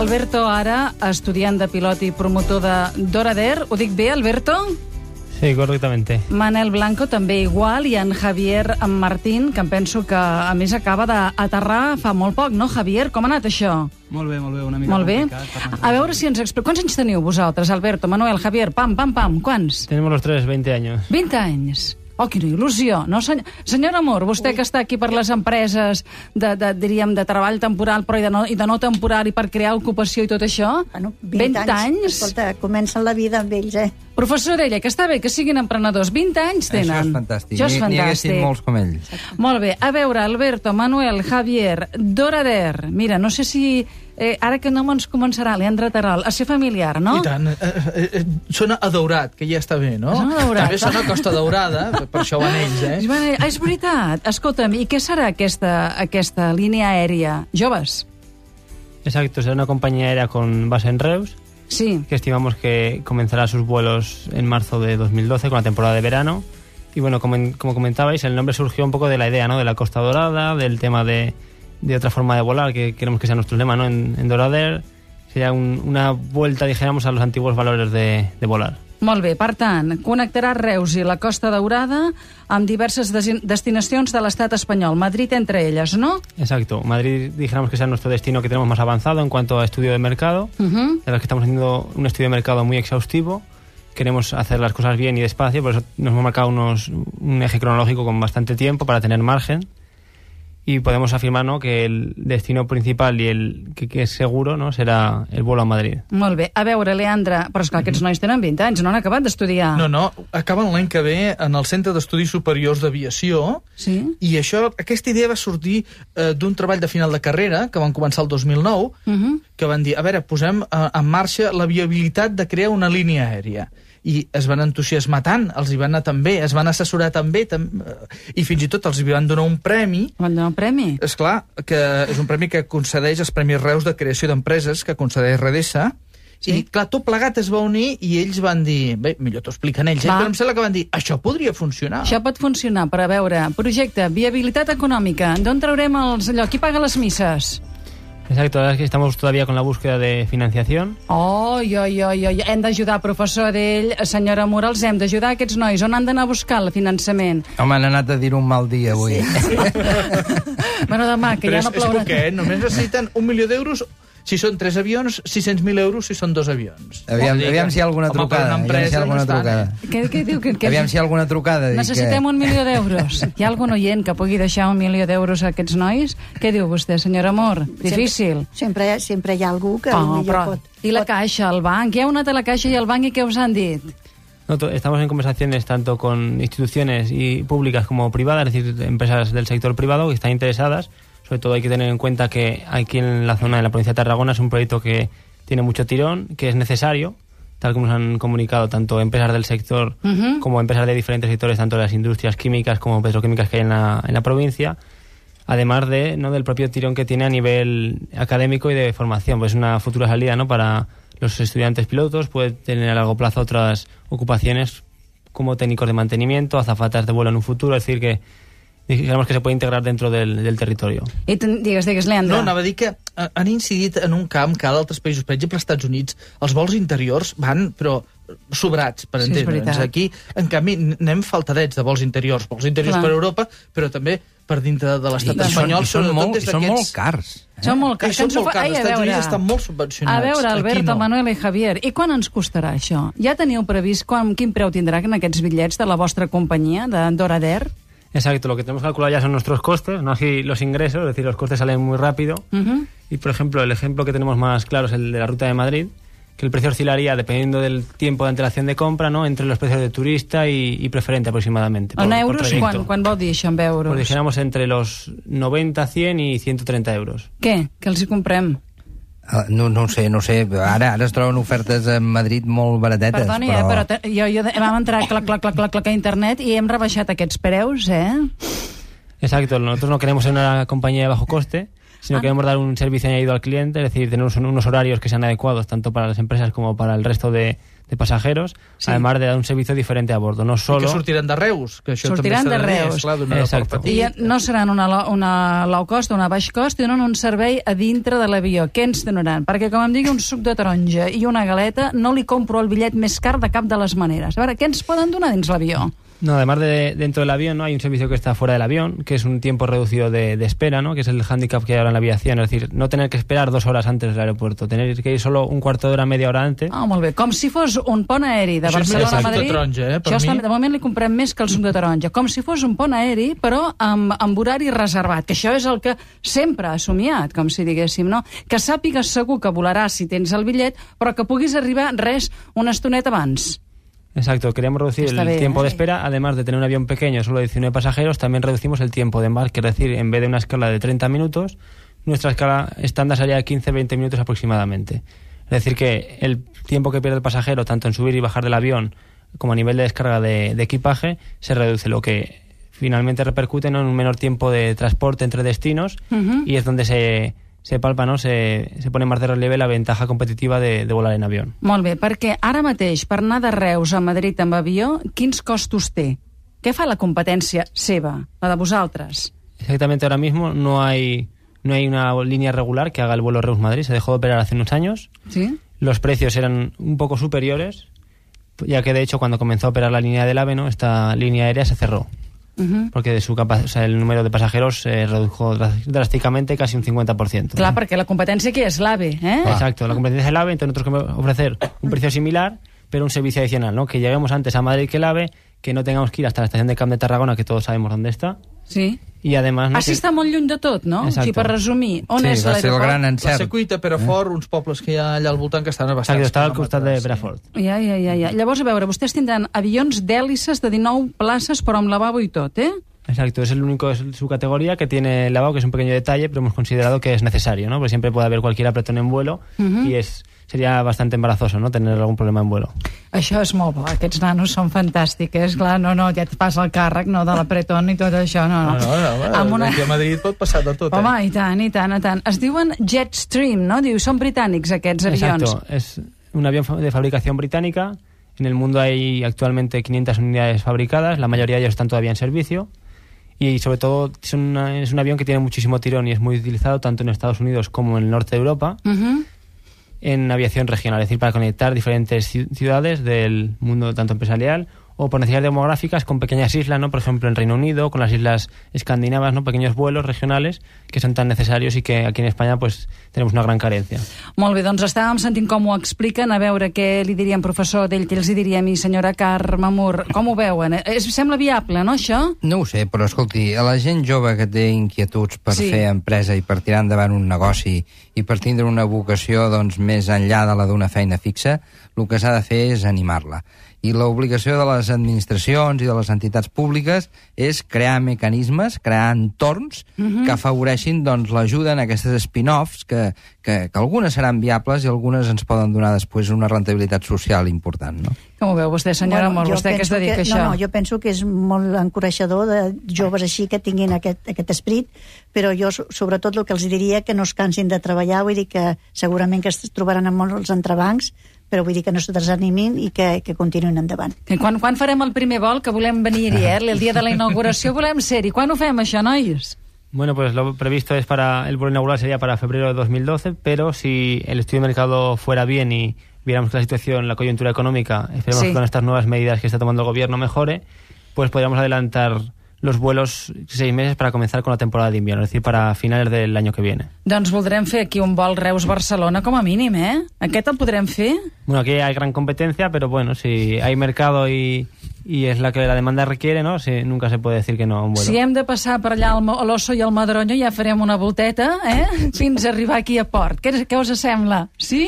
Alberto Ara, estudiant de pilot i promotor de Dorader. Ho dic bé, Alberto? Sí, correctamente. Manel Blanco també igual, i en Javier Martín, que em penso que a més acaba d'aterrar fa molt poc, no, Javier? Com ha anat això? Molt bé, una mica molt bé. complicat. A veure si ens explica. Quants anys teniu vosaltres, Alberto, Manuel, Javier? Pam, quants? Tenemos los tres 20 años. 20 anys. Oh, quina il·lusió. No, senyor Amor, vostè que està aquí per les empreses diríem, de treball temporal, però i de no temporal, i per crear ocupació i tot això? Bueno, 20 anys. Escolta, comencen la vida amb ells, Professor Orella, que està bé que siguin emprenedors. 20 anys tenen. Això és fantàstic. Això és fantàstic. N'hi haguessin molts com ells. Molt bé. A veure, Alberto, Manuel, Javier, Dorader. Mira, no sé si... ara que no ens començarà, Leandre Terol, a ser familiar, no? I tant. Sona a Daurat, que ja està bé, no? Sona a Daurat. També sona a Costa Daurada, per això van ells, És veritat. Escolta'm, i què serà aquesta línia aèria? Joves? Exacto, será una compañía aérea con base en Reus, sí, que estimamos que comenzará sus vuelos en marzo de 2012 con la temporada de verano. Y bueno, como comentabais, el nombre surgió un poco de la idea, ¿no?, de la Costa Dorada, del tema de otra forma de volar, que queremos que sea nuestro lema, ¿no?, en Dorader. Sería una vuelta, dijéramos, a los antiguos valores de volar. Molt bé, per tant, connectarà Reus i la Costa Daurada amb diverses destinacions de l'estat espanyol, Madrid entre ellas, ¿no? Exacto, Madrid dijéramos que es nuestro destino que tenemos más avanzado en cuanto a estudio de mercado, de las que estamos haciendo un estudio de mercado muy exhaustivo. Queremos hacer las cosas bien y despacio, por eso nos hemos marcado un eje cronológico con bastante tiempo para tener margen. Y podemos afirmar, ¿no?, que el destino principal i el que és seguro, no?, serà el vuelo a Madrid. Molt bé. A veure, Leandre, però esclar, aquests nois tenen 20 anys, no han acabat d'estudiar. No, acaben l'any que ve en el Centre d'Estudis Superiors d'Aviació, sí? I aquesta idea va sortir d'un treball de final de carrera, que van començar el 2009, que van dir, a veure, posem en marxa la viabilitat de crear una línia aèria. I es van entusiasmar tant, els hi van anar tan bé, es van assessorar tan bé, i fins i tot els hi van donar un premi. Van donar un premi? Esclar, que és un premi que concedeix els Premis Reus de Creació d'Empreses, que concedeix Redesa, sí? I clar, tot plegat es va unir i ells van dir, bé, millor t'ho expliquen ells, però em sembla que van dir, això podria funcionar. Això pot funcionar, per a veure, projecte, viabilitat econòmica, d'on traurem qui paga les misses? Exacto, la verdad es que estamos todavía con la búsqueda de financiación. Hem d'ajudar, professor Adell, senyora Mura, els hem d'ajudar aquests nois. On han d'anar a buscar el finançament? Home, han anat a dir un mal dia avui. Sí. Bueno, demà, que però ja no plourà. És poquet, només necessiten 1 milió d'euros si són 3 avions, 600.000 euros si són 2 avions. Aviam si hi ha alguna trucada. Què diu? Aviam si hi ha alguna trucada. Necessitem 1 milió d'euros. Hi ha algun oient que pugui deixar 1 milió d'euros a aquests nois? Què diu vostè, senyor Amor? Difícil. Sempre hi ha algú que millor pot. I la Caixa, el banc? Ja heu anat a la Caixa i al banc i què us han dit? Estamos en conversaciones tanto con instituciones y públicas como privadas, es decir, empresas del sector privado que están interesadas. Sobre todo hay que tener en cuenta que aquí en la zona de la provincia de Tarragona es un proyecto que tiene mucho tirón, que es necesario, tal como nos han comunicado tanto empresas del sector como empresas de diferentes sectores, tanto de las industrias químicas como petroquímicas que hay en la provincia, además del propio tirón que tiene a nivel académico y de formación. Pues es una futura salida, ¿no?, para los estudiantes pilotos, puede tener a largo plazo otras ocupaciones como técnicos de mantenimiento, azafatas de vuelo en un futuro, es decir que digamos que se puede integrar dentro del territorio. I digues, Leandre. No, anava a dir que han incidit en un camp que a d'altres països, per exemple, als Estats Units, els vols interiors van, però sobrats, per entendre'ns. Aquí, en canvi, anem faltadets de vols interiors per Europa, però també per dintre de l'estat espanyol. Són molt cars. Són molt cars. Els Estats Units estan molt subvencionats. A veure, Alberto, Manuel i Javier, i quan ens costarà això? Ja teniu previst quin preu tindrà en aquests bitllets de la vostra companyia, de Dorader? Exacto, lo que tenemos calculado ya son nuestros costes, no así los ingresos, es decir, los costes salen muy rápido. Y, por ejemplo, el ejemplo que tenemos más claro es el de la ruta de Madrid, que el precio oscilaría, dependiendo del tiempo de antelación de compra, ¿no?, entre los precios de turista y preferente aproximadamente. En euros, quan vol dir això, en euros? Pues dijéramos entre los 90, 100 y 130 euros. Què? Que els hi comprem? No ho sé. Ara es troben ofertes a Madrid molt baratetes. Perdoni, però vam entrar clac a internet i hem rebaixat aquests preus, Exacto, nosotros no queremos ser una compañía de bajo coste. sino queremos dar un servicio añadido al cliente, es decir, tener unos horarios que sean adecuados tanto para las empresas como para el resto de pasajeros, además de dar un servicio diferente a bordo, no solo... I que sortiran de Reus, que això sortiran també de Reus. Clar, exacte. I no seran una low cost o una baix cost, tenen un servei a dintre de l'avió. Què ens donaran? Perquè, com em digui, un suc de taronja i una galeta, no li compro el bitllet més car de cap de les maneres. A veure, què ens poden donar dins l'avió? No, además de dentro del avión, ¿no? Hay un servicio que está fuera del avión, que es un tiempo reducido de espera, ¿no? Que es el hándicap que hay ahora en la aviación, es decir, no tener que esperar 2 horas antes del aeropuerto, tener que ir solo un cuarto de hora, media hora antes. Ah, molt bé, com si fos un pont aeri de Barcelona a Madrid. Això està, de moment li comprem més que el suc de taronja. Com si fos un pont aeri, però amb horari reservat, que això és el que sempre ha somiat, com si diguéssim, no? Que sàpigues segur que volaràs si tens el bitllet, però que puguis arribar una estoneta abans. Exacto, queremos reducir el tiempo de espera, además de tener un avión pequeño, solo de 19 pasajeros, también reducimos el tiempo de embarque, es decir, en vez de una escala de 30 minutos, nuestra escala estándar sería de 15-20 minutos aproximadamente. Es decir, que el tiempo que pierde el pasajero, tanto en subir y bajar del avión, como a nivel de descarga de equipaje, se reduce, lo que finalmente repercute en un menor tiempo de transporte entre destinos, y es donde se palpa, no? Se pone más de relieve la ventaja competitiva de volar en avión. Molt bé, perquè ara mateix, per anar de Reus a Madrid amb avió, quins costos té? Què fa la competència seva, la de vosaltres? Exactamente, ahora mismo no hay una línea regular que haga el vuelo Reus-Madrid, se dejó de operar hace unos años. ¿Sí? Los precios eran un poco superiores, ya que de hecho cuando comenzó a operar la línea del AVE, ¿no? Esta línea aérea se cerró. Porque el número de pasajeros se redujo drásticamente, casi un 50%. Clar, perquè la competència aquí és l'AVE, ¿eh? Exacto, la competencia es el AVE, entonces nosotros queremos ofrecer un precio similar, pero un servicio adicional, ¿no? Que lleguemos antes a Madrid que el AVE, que no tengamos que ir hasta la estación de Camp de Tarragona, que todos sabemos dónde está. Sí. I además, no, Així està molt lluny de tot, no? Exacte. O sigui, per resumir, on és va ser el gran l'aeroport? La encert. Secuita, Perafort, uns pobles que hi ha allà al voltant que estan a bastants Exacto, está al costat de quilòmetres. Brafort. Ja. Llavors, a veure, vostès tindran avions d'hèlices de 19 places, però amb lavabo i tot, eh? Exacto, es el único de su categoría que tiene lavabo, que es un pequeño detalle, pero hemos considerado que es necesario, ¿no? Porque siempre puede haber cualquier apretón en vuelo y sería bastante embarazoso, ¿no? Tener algún problema en vuelo. Això és molt bo, aquests nanos són fantàstics, clar, ja et passa el càrrec, no, de l'apretón i tot això, no. Aquí a Madrid pot passar de tot, Home, i tant. Es diuen Jetstream, no? Diu, són britànics aquests avions. Exacto, es un avión de fabricación británica. En el mundo hay actualmente 500 unidades fabricadas, la mayoría de ellos están todavía en servicio. Y sobre todo es un avión que tiene muchísimo tirón y es muy utilizado tanto en Estados Unidos como en el norte de Europa en aviación regional, es decir, para conectar diferentes ciudades del mundo tanto empresarial o por necesidades demográficas con pequeñas islas, ¿no? Por ejemplo, en Reino Unido, con las islas escandinavas, ¿no? Pequeños vuelos regionales que son tan necesarios y que aquí en España pues tenemos una gran carencia. Molt bé, doncs estàvem sentint com ho expliquen, a veure què li diríem, professor d'ell, què els diria a mi, senyora Carme Mur. Com ho veuen? Sembla viable, no, això? No ho sé, però escolti, a la gent jove que té inquietuds per fer empresa i per tirar endavant un negoci i per tindre una vocació doncs, més enllà de la d'una feina fixa, el que s'ha de fer és animar-la. I l'obligació de les administracions i de les entitats públiques és crear mecanismes, crear entorns que afavoreixin doncs, l'ajuda en aquestes spin-offs que algunes seran viables i algunes ens poden donar després una rentabilitat social important, no? Com ho veu vostè, senyora Mor? Vostè que es dedica a això? No, jo penso que és molt encoratjador de joves així que tinguin aquest esperit, però jo sobretot el que els diria que no es cansin de treballar, vull dir que segurament que es trobaran amb molts entrebancs, però vull dir que no se desanimin i que continuïn endavant. Quan farem el primer vol, que volem venir-hi, el dia de la inauguració volem ser-hi. Quan ho fem, això, nois? Bueno, pues lo previsto es el vuelo inaugural sería para febrero de 2012, pero si el estudio de mercado fuera bien y viéramos que la situación, la coyuntura económica, esperemos que con estas nuevas medidas que está tomando el gobierno mejore, pues podríamos adelantar los vuelos 6 meses para comenzar con la temporada de invierno, es decir, para finales del año que viene. Doncs voldrem fer aquí un vol Reus-Barcelona com a mínim, ¿eh? Aquest el podrem fer? Bueno, aquí hay gran competencia, pero bueno, si hay mercado y es la que la demanda requiere, ¿no? Sí, nunca se puede decir que no a un vuelo. Si hem de passar per allà a l'Osso i al Madroño, ja farem una volteta, fins a arribar aquí a port. Què us sembla? Sí?